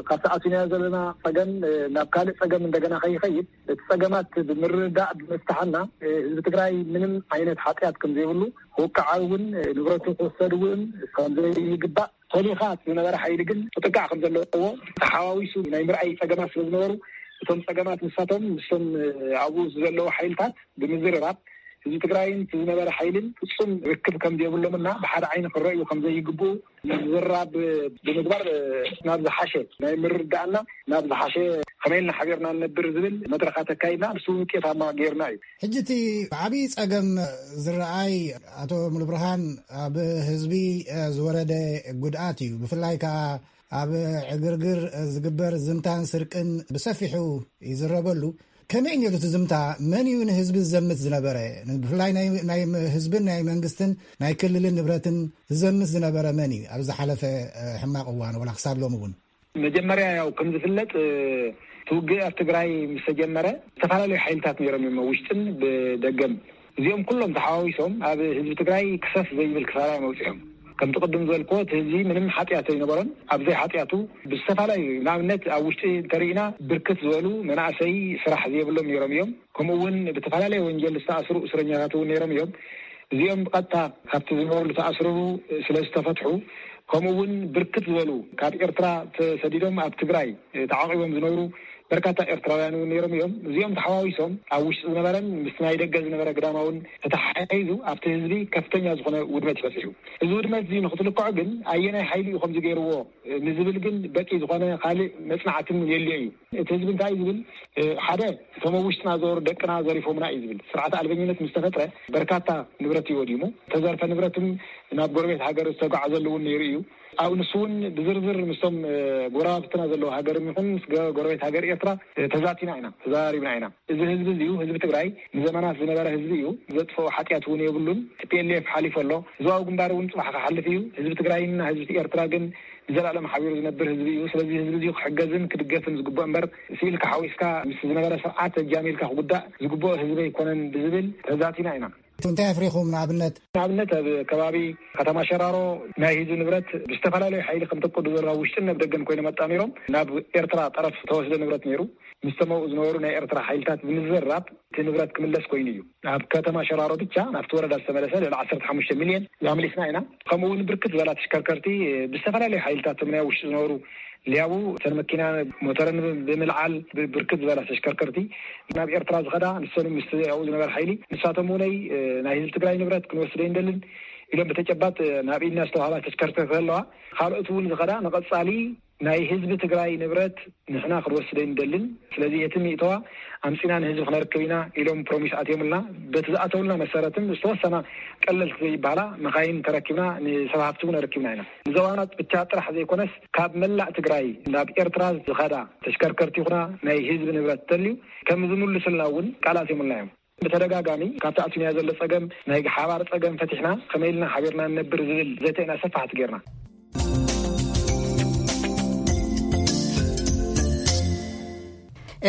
ካብቲ ኣቲናዮ ዘለና ጸገም ናብ ካልእ ጸገም እንደገና ከይኸይድ እቲ ጸገማት ብምርድዳእ ብምፍታሕና ህዝቢ ትግራይ ምንም ዓይነት ሓጢኣት ከም ዘይብሉ፣ ክውቅዓ እውን ንብረቱ ክውሰድ እውን ከም ዘይግባእ፣ ተሊኻ ዝነበረ ሓይሊ ግን ክጥቃዕ ከም ዘለዎ ተሓዋዊሱ ናይ ምርኣይ ጸገማት ስለ ዝነበሩ፣ እቶም ጸገማት ንሳቶም ምስቶም ኣብኡ ዘለዉ ሓይልታት ብምዝርራብ ህዝቢ ትግራይን ዝነበረ ሓይልን ፍጹም ርክብ ከም ዘይብሎምና ብሓደ ዓይኒ ክረእዩ ከም ዘይግብኡ ዝራብ ብምግባር ናብ ዝሓሸ ናይ ምርዳእና ናብ ዝሓሸ ከመይ ኢልና ሓቢርና ንነብር ዝብል መድረኻት ኣካይድና፣ ንሱ ውጤታማ ጌርና እዩ። ሕጂ እቲ ዓብዪ ጸገም ዝረኣይ፣ ኣቶ ሙሉብርሃን፣ ኣብ ህዝቢ ዝወረደ ጉድኣት እዩ። ብፍላይ ከኣ ኣብ ዕግርግር ዝግበር ዝምታን ስርቅን ብሰፊሑ ይዝረበሉ። ከመይ ነይሩ እቲ ዝምታ? መን እዩ ንህዝቢ ዝዘምት ዝነበረ? ብፍላይ ናይ፣ ናይ ህዝብን ናይ መንግስትን ናይ ክልልን ንብረትን ዝዘምት ዝነበረ መን እዩ? ኣብ ዝሓለፈ ሕማቕ እዋን ወላ ክሳብ ሎሚ እውን። መጀመርያ ያው ከም ዝፍለጥ እቲ ውግእ ኣብ ትግራይ ምስ ተጀመረ ዝተፈላለዩ ሓይልታት ነይሮም እዮም፣ ውሽጥን ብደገም። እዚኦም ኩሎም ተሓዋዊሶም ኣብ ህዝቢ ትግራይ ክሰፍ ዘይብል ክሳራ እዮም ኣውፂኦም። ከምቲ ቅድም ዝበልክዎ እቲ ህዝቢ ምንም ሓጢኣት ኣይነበሮን። ኣብዘይ ሓጢኣቱ ብዝተፈላለዩ ንኣብነት ኣብ ውሽጢ እንተርኢና ብርክት ዝበሉ መናእሰይ ስራሕ ዘይብሎም ነይሮም እዮም። ከምኡ እውን ብተፈላለየ ወንጀል ዝተኣስሩ እስረኛታት እውን ነይሮም እዮም። እዚኦም ብቐጥታ ካብቲ ዝነበርሉ ተኣስርቡ ስለ ዝተፈትሑ፣ ከምኡ እውን ብርክት ዝበሉ ካብ ኤርትራ ተሰዲዶም ኣብ ትግራይ ተዓቂቦም ዝነብሩ በርካታ ኤርትራውያን እውን ነይሮም እዮም። እዚኦም ተሓዋዊሶም ኣብ ውሽጢ ዝነበረን ምስቲ ናይ ደገ ዝነበረ ግዳማውን ተተሓሒዙ ኣብቲ ህዝቢ ከፍተኛ ዝኾነ ውድመት ይበፅሕ እዩ። እዚ ውድመት እዚ ንክትልክዖ ግን ኣየናይ ሓይሊ እዩ ከምዚ ገይርዎ ንዝብል ግን በቂ ዝኾነ ካልእ መፅናዕትን የልዮ እዩ። እቲ ህዝቢ እንታይ እዩ ዝብል? ሓደ፣ እቶም ኣብ ውሽጥና ዘወሩ ደቅና ዘሪፎምና እዩ ዝብል። ስርዓት ኣልበኝነት ምስ ተፈጥረ በርካታ ንብረት እዩ ወዲሙ። ተዘርፈ ንብረትም ናብ ጎረቤት ሃገር ዝተጓዓዘሉ እውን ነይሩ እዩ። ኣብ ንሱ እውን ብዝርዝር ምስቶም ጎረባብትና ዘለዉ ሃገርም ይኹን ምስ ጎረቤት ሃገር ኤርትራ ተዛቲና ኢና፣ ተዘራሪብና ኢና። እዚ ህዝቢ እዚ እዩ፣ ህዝቢ ትግራይ ንዘመናት ዝነበረ ህዝቢ እዩ። ዘጥፍኦ ሓጢኣት እውን የብሉን። ቲ ፒ ኤል ኤፍ ሓሊፉ ኣሎ። ህዝባዊ ግንባር እውን ፅባሕ ክሓልፍ እዩ። ህዝቢ ትግራይን ህዝቢ ኤርትራ ግን ንዘላለም ሓቢሩ ዝነብር ህዝቢ እዩ። ስለዚ ህዝቢ እዚ ክሕገዝን ክድገፍን ዝግብኦ እምበር ስኢልካ ሓዊስካ ምስ ዝነበረ ስርዓት ኣጃሚልካ ክጉዳእ ዝግብኦ ህዝቢ ኣይኮነን ብዝብል ተዛቲና ኢና። እንታይ ኣፍሪኹም? ንኣብነት ንኣብነት ኣብ ከባቢ ከተማ ሸራሮ ናይ ህዝቢ ንብረት ብዝተፈላለዩ ሓይሊ ከም ተቅዱ ዘሎ ውሽጥን ናብ ደገን ኮይኖም ኣጣሚሮም ናብ ኤርትራ ጠረፍ ተወስደ ንብረት ነይሩ። ምስተመኡ ዝነበሩ ናይ ኤርትራ ሓይልታት ብምዝራብ እቲ ንብረት ክምለስ ኮይኑ እዩ። ኣብ ከተማ ሸራሮ ብቻ ናብቲ ወረዳ ዝተመለሰ ልዕሊ ዓሰርተ ሓሙሽተ ሚልዮን ኣምሊስና ኢና። ከምኡ እውን ብርክት ዝበላ ተሽከርከርቲ ብዝተፈላለዩ ሓይልታት እቶም ናይ ውሽጢ ዝነበሩ ሊያቡ እተን መኪና ሞተረን ብምልዓል ብርክት ዝበላ ተሽከርከርቲ ናብ ኤርትራ ዝኸዳ ንሰን ምስ ኣብኡ ዝነበረ ሓይሊ ንሳቶም እውነይ ናይ ህዝቢ ትግራይ ንብረት ክንወስደ ይንደልን ኢሎም ብተጨባጥ ናብ ኢድና ዝተዋህባ ተሽከርከርቲ ከለዋ ካልኦት እውን ዝኸዳ ንቐፃሊ ናይ ህዝቢ ትግራይ ንብረት ንሕና ክንወስደ ይንደልን። ስለዚ የትም ይእተዋ ኣምፂና ንህዝቢ ክነርክብ ኢና ኢሎም ፕሮሚስ ኣትዮምልና። በቲ ዝኣተውልና መሰረትን ዝተወሰና ቀለልቲ ዘይበሃላ መኻይን ተረኪብና ንሰብ ሃፍቲ እውን ኣረኪብና ኢና። ንዘዋናት ብቻ ጥራሕ ዘይኮነስ ካብ መላእ ትግራይ ናብ ኤርትራ ዝኸዳ ተሽከርከርቲ ይኹና ናይ ህዝቢ ንብረት ተልዩ ከም ዝምልሱልና እውን ቃል ኣትዮምልና እዮም። ብተደጋጋሚ ካብቲ ኣትዩና ዘሎ ጸገም ናይ ሓባር ጸገም ፈቲሕና ከመይ ኢልና ሓቢርና ንነብር ዝብል ዘተ ኢና ሰፋሕቲ ጌርና።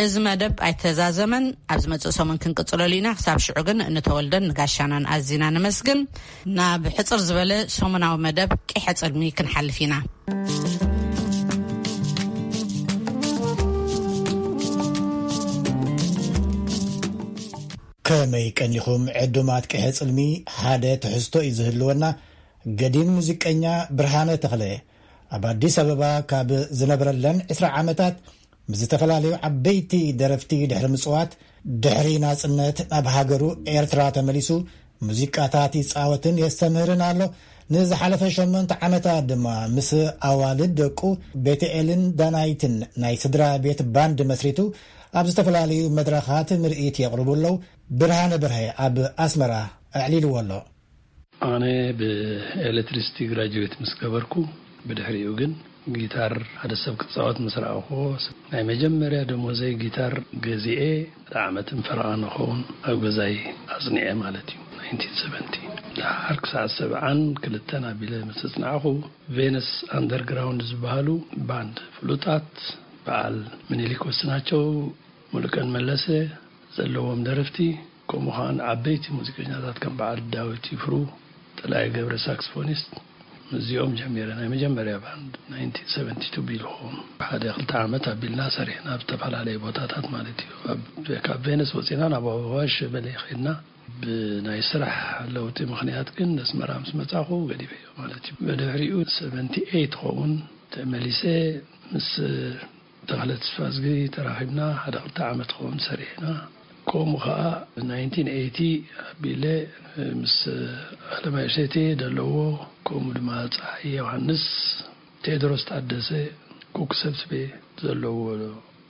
እዚ መደብ ኣይተዛዘመን። ኣብ ዝመጽእ ሰሙን ክንቅጽለሉ ኢና። ክሳብ ሽዑ ግን ንተወልደን ንጋሻናን ኣዚና ነመስግን። ናብ ሕጽር ዝበለ ሰሙናዊ መደብ ቂሐ ጽልሚ ክንሓልፍ ኢና። ከመይ ቀኒኹም ዕዱማት ቅሐ ጽልሚ? ሓደ ትሕዝቶ እዩ ዝህልወና። ገዲም ሙዚቀኛ ብርሃነ ተኽለ ኣብ ኣዲስ ኣበባ ካብ ዝነብረለን ዕስራ ዓመታት ምስ ዝተፈላለዩ ዓበይቲ ደረፍቲ ድሕሪ ምጽዋት ድሕሪ ናጽነት ናብ ሃገሩ ኤርትራ ተመሊሱ ሙዚቃታት ይጻወትን የስተምህርን ኣሎ። ንዝሓለፈ ሸሞንተ ዓመታት ድማ ምስ ኣዋልድ ደቁ ቤተኤልን ዳናይትን ናይ ስድራ ቤት ባንድ መስሪቱ ኣብ ዝተፈላለዩ መድረኻት ምርኢት የቕርቡ ኣለዉ። ብርሃነ በርሀ ኣብ ኣስመራ ኣዕሊልዎ ኣሎ። ኣነ ብኤሌክትሪሲቲ ግራጁዌት ምስ ገበርኩ ብድሕሪኡ ግን ጊታር ሓደ ሰብ ክጻወት ምስ ረኣኹዎ ናይ መጀመርያ ደሞዘይ ጊታር ገዚኤ ሓደ ዓመትን ፈረቓ ንኸውን ኣብ ገዛይ ኣጽኒዐ ማለት እዩ። ናይንቲን ሰቨንቲ ደሓር ክሳዕ ሰብዓን ክልተን ኣቢለ ምስ ኣጽናዕኹ ቬነስ ኣንደርግራውንድ ዝበሃሉ ባንድ ፍሉጣት በዓል ምኒልክ ወስናቸው፣ ሙሉቀን መለሰ ዘለዎም ደረፍቲ ከምኡ ከኣ ዓበይቲ ሙዚቀኛታት ከም በዓል ዳዊት ይፍሩ፣ ጠላይ ገብረ ሳክስፎኒስት ምስዚኦም ጀሚረ ናይ መጀመርያ ባንድ ናይንቲን ሰቨንቲ ቱ ቢልኮም ሓደ ክልተ ዓመት ኣቢልና ሰሪሕና ኣብ ዝተፈላለየ ቦታታት ማለት እዩ። ካብ ቬነስ ወፂና ናብ ኣዋሽ በሌ ከድና ብናይ ስራሕ ለውጢ ምክንያት ግን ነስመራ ምስ መፃኹ ገዲፈዮ ማለት እዩ። ብድሕሪኡ ሰቨንቲ ኤይት ኸውን ተመሊሰ ምስ ተኽለ ተስፋዝጊ ተራኺብና ሓደ ክልተ ዓመት ኸውን ሰሪሕና። ከምኡ ኸዓ ናይንቲን ኤይቲ ኣቢለ ምስ ኣለማይ እሸቴ ደለዎ፣ ከምኡ ድማ ፀሃየ ዮሃንስ፣ ቴድሮስ ታደሰ፣ ኩኩ ሰብስቤ ዘለዎ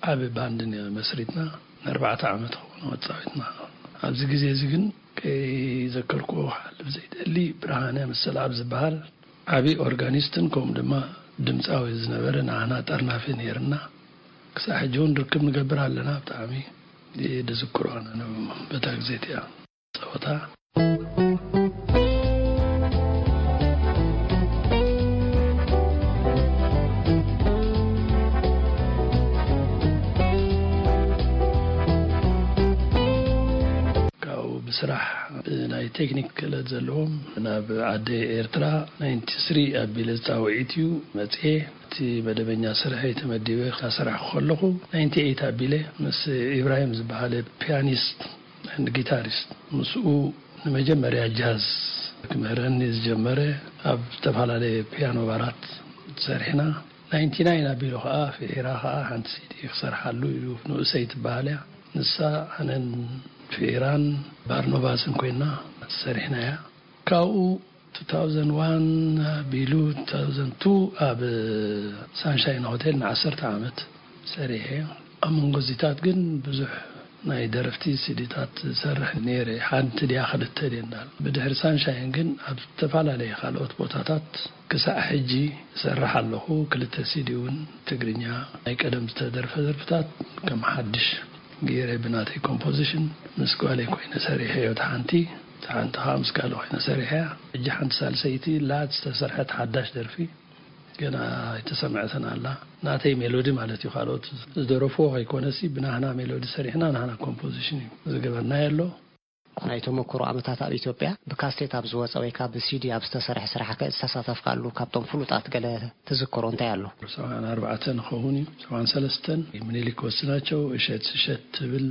ዓቢ ባንድ መስሪትና ንኣርባዕተ ዓመት ኾነ ተፃዊትና። ኣብዚ ግዜ እዚ ግን ከይዘከርክዎ ክሓልፍ ዘይደሊ፣ ብርሃነ መሰልኣብ ዝበሃል ዓቢ ኦርጋኒስትን ከምኡ ድማ ድምፃዊ ዝነበረ ንዓና ጠርናፊ ነይርና። ክሳዕ ሕጂ እውን ርክብ ንገብር ኣለና። ብጣዕሚ ድዝክሮ ኣነ በታ ግዜ እቲኣ ጸወታ። ካብኡ ብስራሕ ብናይ ቴክኒክ ክእለት ዘለዎም ናብ ዓዲ ኤርትራ ናይንቲ ስሪ ኣቢለ ዝጻውዒት እዩ መጽኤ። እቲ መደበኛ ስርሐይ ተመዲበ ክሰርሕ ከለኹ፣ ናይንቲ ኤይት ኣቢለ ምስ ኢብራሂም ዝበሃለ ፒያኒስት ኤንድ ጊታሪስት፣ ምስኡ ንመጀመርያ ጃዝ ክምህረኒ ዝጀመረ፣ ኣብ ዝተፈላለየ ፒያኖ ባራት ሰሪሕና። ናይንቲ ናይን ኣቢሉ ኸዓ፣ ፍሒራ ኸዓ ሓንቲ ሲዲ ክሰርሓሉ ኢሉ፣ ንኡሰይ ትበሃል እያ። ንሳ፣ ኣነን ፍሒራን ባርኖባስን ኮይና ሰሪሕናያ። ካብኡ ቱ ታውዘንድ ዋን ኣቢሉ ቱ ታውዘንድ ቱ ኣብ ሳንሻይን ሆቴል ንዓሰርተ ዓመት ሰሪሐ። ኣብ መንጎ እዚታት ግን ብዙሕ ናይ ደረፍቲ ሲዲታት ዝሰርሕ ነይረ፣ ሓንቲ ድያ ክልተ ድየ እንዳል። ብድሕሪ ሳንሻይን ግን ኣብ ዝተፈላለየ ካልኦት ቦታታት ክሳዕ ሕጂ እሰርሕ ኣለኹ። ክልተ ሲዲ እውን ትግርኛ ናይ ቀደም ዝተደርፈ ደርፍታት ከም ሓድሽ ገይረ ብናተይ ኮምፖዚሽን ምስ ጓለይ ኮይነ ሰሪሐዮ። እቲ ሓንቲ፣ እቲ ሓንቲ ከዓ ምስ ጋለ ኮይነ ሰሪሐያ። ሕጂ ሓንቲ ሳልሰይቲ ላት ዝተሰርሐት ሓዳሽ ደርፊ ገና ኣይተሰምዐትን ኣላ። ናተይ ሜሎዲ ማለት እዩ። ካልኦት ዝደረፍዎ ከይኮነሲ ብናህና ሜሎዲ ሰሪሕና ናህና ኮምፖዚሽን እዩ ዝገበርናዮ ኣሎ። ናይ ተመክሮ ዓመታት ኣብ ኢትዮጵያ ብካሴት ኣብ ዝወፀ ወይ ካብ ብሲዲ ኣብ ዝተሰርሐ ስራሕ ከ ዝተሳተፍካሉ ካብቶም ፍሉጣት ገለ ትዝክሮ እንታይ ኣሎ? ሰብዓን ኣርባዕተን ክኸውን እዩ፣ ሰብዓን ሰለስተን ምኒልክ ወስናቸው እሸት እሸት ትብል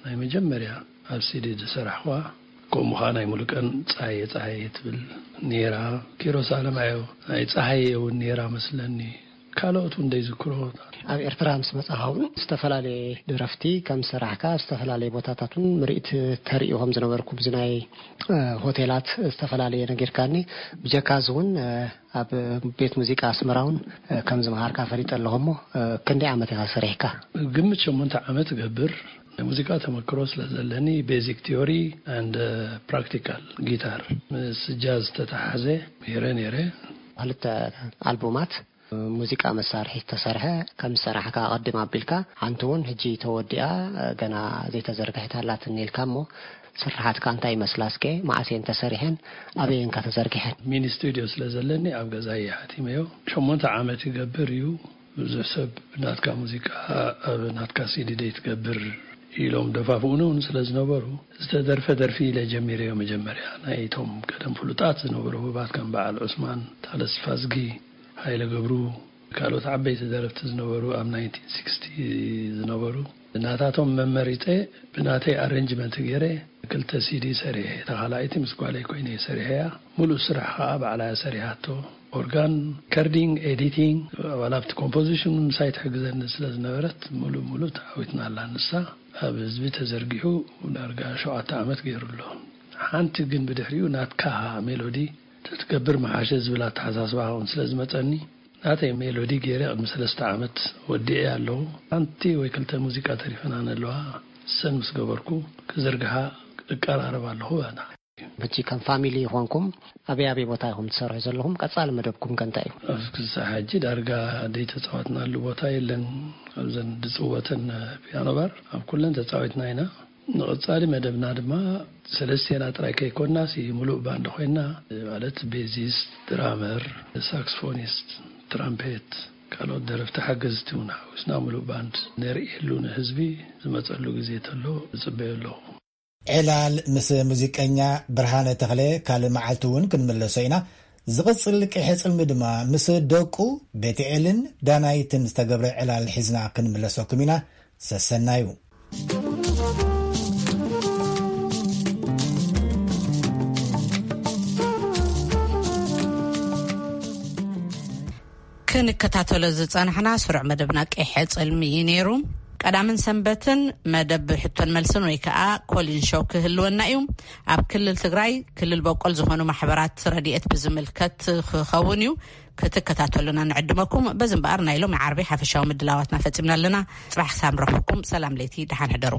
ናይ መጀመርያ ኣብ ሲዲ ዝሰራሕዋ። ከምኡ ኸዓ ናይ ሙሉቀን ፀሃየ ፀሃየ ትብል ነይራ። ኪሮስ ኣለማየሁ ናይ ፀሃየ እውን ነይራ መስለኒ። ካልኦት እውን ዘይዝክሮ። ኣብ ኤርትራ ምስ መጻኻ እውን ዝተፈላለየ ደረፍቲ ከም ዝሰራሕካ፣ ኣብ ዝተፈላለየ ቦታታት እውን ምርኢት ተርእዩ ከም ዝነበርኩ፣ ብዚ ናይ፣ እ፣ ሆቴላት ዝተፈላለየ ነጊርካኒ። ብጀካ እዚ እውን፣ እ፣ ኣብ ቤት ሙዚቃ ኣስመራ እውን፣ እ፣ ከም ዝመሃርካ ፈሊጠ ኣለኹ እሞ፣ እ፣ ክንደይ ዓመት ኢኻ ሰሪሕካ? ግምት ሸሞንተ ዓመት እገብር። ናይ ሙዚቃ ተመክሮ ስለ ዘለኒ፣ ቤዚክ ቲዮሪ ኣንድ ፕራክቲካል ጊታር ምስ ጃዝ ዝተተሓሓዘ ምሂረ ነይረ። ክልተ ኣልቡማት ሙዚቃ መሳርሒ ዝተሰርሐ ከም ዝሰራሕካ ኣቐድም ኣቢልካ፣ ሓንቲ እውን ሕጂ ተወዲኣ፣ ገና ዘይተዘርግሐት ኣላትኒ ኢልካ እሞ፣ ስርሓትካ እንታይ ይመስላ እስከ? መዓስ እየን ተሰሪሐን? ኣበይ እየን ከ ተዘርጊሐን? ሚኒ ስቱድዮ ስለ ዘለኒ ኣብ ገዛይ እየ ሓቲመዮ። ሸሞንተ ዓመት ይገብር እዩ። ብዙሕ ሰብ ናትካ ሙዚቃ ኣብ ናትካ ሲዲ ደይ ትገብር ኢሎም ደፋፍኡኒ እውን ስለ ዝነበሩ፣ ዝተደርፈ ደርፊ ኢለ ጀሚረዮ። መጀመርያ ናይቶም ቀደም ፍሉጣት ዝነበሩ ህቡባት ከም በዓል ዑስማን፣ ታለስ ፋዝጊ፣ ሃይለ ገብሩ፣ ካልኦት ዓበይቲ ደረፍቲ ዝነበሩ ኣብ ናይንቲን ሲክስቲ ዝነበሩ፣ ናታቶም መመሪጸ ብናተይ ኣሬንጅመንት ገይረ ክልተ ሲዲ ሰሪሐ። እታ ካልኣይቲ ምስ ጓለይ ኮይነ ሰሪሐያ። ሙሉእ ስራሕ ከዓ ባዕላ እያ ሰሪሓቶ። ኦርጋን፣ ከርዲንግ፣ ኤዲቲንግ፣ ዋላ ኣብቲ ኮምፖዚሽን ምሳይ ትሕግዘኒ ስለ ዝነበረት፣ ሙሉእ ሙሉእ ተዓዊትና ኣላ ንሳ። ኣብ ህዝቢ ተዘርጊሑ ዳርጋ ሸውዓተ ዓመት ገይሩ ኣሎ። ሓንቲ ግን ብድሕሪኡ ናትካ ሜሎዲ ተትገብር ምሓሸ ዝብል ኣተሓሳስባ እውን ስለ ዝመጸኒ፣ ናተይ ሜሎዲ ገይረ ቅድሚ ሰለስተ ዓመት ወዲኤ ኣለኹ። ሓንቲ ወይ ክልተ ሙዚቃ ተሪፈናን ኣለዋ። እሰን ምስ ገበርኩ ክዝርግሓ እቀራረብ ኣለኹ። ኣና ሕጂ ከም ፋሚሊ ይኾንኩም ኣበይ ኣበይ ቦታ ኢኹም ትሰርሑ ዘለኹም? ቀጻሊ መደብኩም ከ እንታይ እዩ? ኣብዚ ክሳዕ ሕጂ ዳርጋ ዘይተጻወትናሉ ቦታ የለን። ኣብዘን ዝጽወተን ፒያኖ ባር ኣብ ኩለን ተጻዊትና ኢና። ንቐጻሊ መደብና ድማ ሰለስቴና ጥራይ ከይኮንናስ፣ ሙሉእ ባንድ ኮይንና፣ ማለት ቤዚስት፣ ድራመር፣ ሳክስፎኒስት፣ ትራምፔት፣ ካልኦት ደረፍቲ ሓገዝቲ እውን ሓዊስና ሙሉእ ባንድ ነርእየሉ፣ ንህዝቢ ዝመጸሉ ግዜ ተሎ ዝጽበዮ ኣለኹ። ዕላል ምስ ሙዚቀኛ ብርሃነ ተኽለ ካልእ መዓልቲ እውን ክንምለሶ ኢና። ዝቕጽል ቅሐ ጽልሚ ድማ ምስ ደቁ ቤትኤልን ዳናይትን ዝተገብረ ዕላል ሒዝና ክንምለሰኩም ኢና። ሰሰናዩ። ክንከታተሎ ዝጸናሕና ስሩዕ መደብና ቀይሐ ጽልሚ እዩ ነይሩ። ቀዳምን ሰንበትን መደብ ሕቶን መልስን ወይ ከዓ ኮሊን ሾው ክህልወና እዩ። ኣብ ክልል ትግራይ ክልል በቆል ዝኾኑ ማሕበራት ረድኤት ብዝምልከት ክኸውን እዩ። ክትከታተሉና ንዕድመኩም። በዚ እምበኣር ናይ ሎሚ ዓርቢ ሓፈሻዊ ምድላዋትና ፈጺምና ኣለና። ጽባሕ ክሳብ ንረኽበኩም ሰላም ለይቲ፣ ደሓን ሕደሩ።